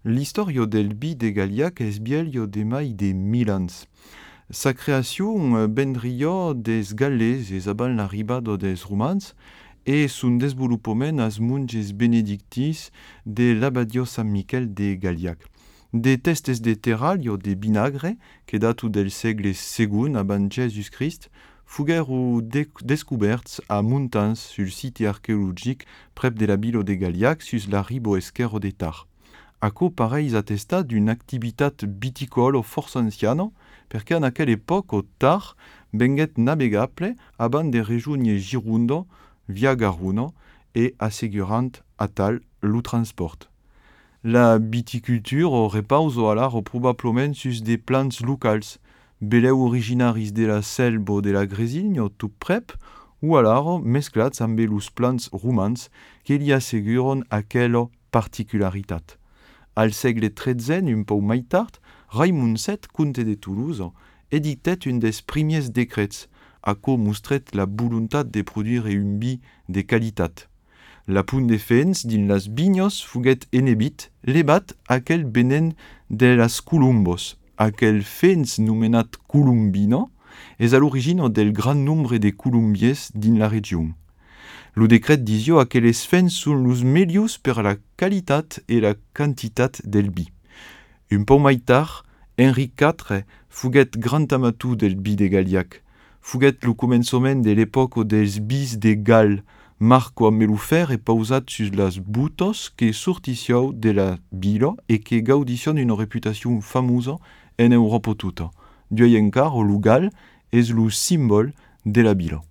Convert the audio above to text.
L'istorio del bi de Galiac es bielio de mai de 1000 ans. Sa creación vendrio des Galles es abans l'arribada des romans e son desenvolupament als monges benedictis de l'abadio San Miquel de Galiac. De testes de terralio de vinagre, que datu del segle II abans Jesus Christ, fuguero descoberts a muntans sul siti archeologic prep de la bilo de Galiac sus la ribo esquerro de Tar. Aquò pareis attestat d'une activitat viticolo força anciana, perché en aquella època Tar venguet navegable abans de rejoindre Gironda via Garona e assegurant a tal lo transport. La viticulture repausa alara probablement sus des plants locals, beleu originaris de la selva de la Gresigna tot prep, ou alara mesclats amb los plants romans que li asseguren aquella particularitat. Al segle XIII, un peu mai tard, Raimon VII, comte de Toulouse, edictet un des premiers decrets, aquò mostret la voluntat de produire un vi de qualitat. La punt de fens din las vignos fuguet enebit, lebat aquel venen de las columbos, aquel fens nomenat columbino, és a l'origine del gran nombre de columbiers din la region. Lo decret disio aqueles fens son los melius per la qualitat e la quantitat del vi. Un peu mai tard, Henri IV fuguet grand amatou del vi de Galiac. Fuguet lo començament de l'època dels bis de Gal, marco amb lo fer e pausat sus las butos que sorticiau de la vila e que gaudicion una reputació famosa en Europa tota. Duei encara lo Gal és lo simbol de la vila.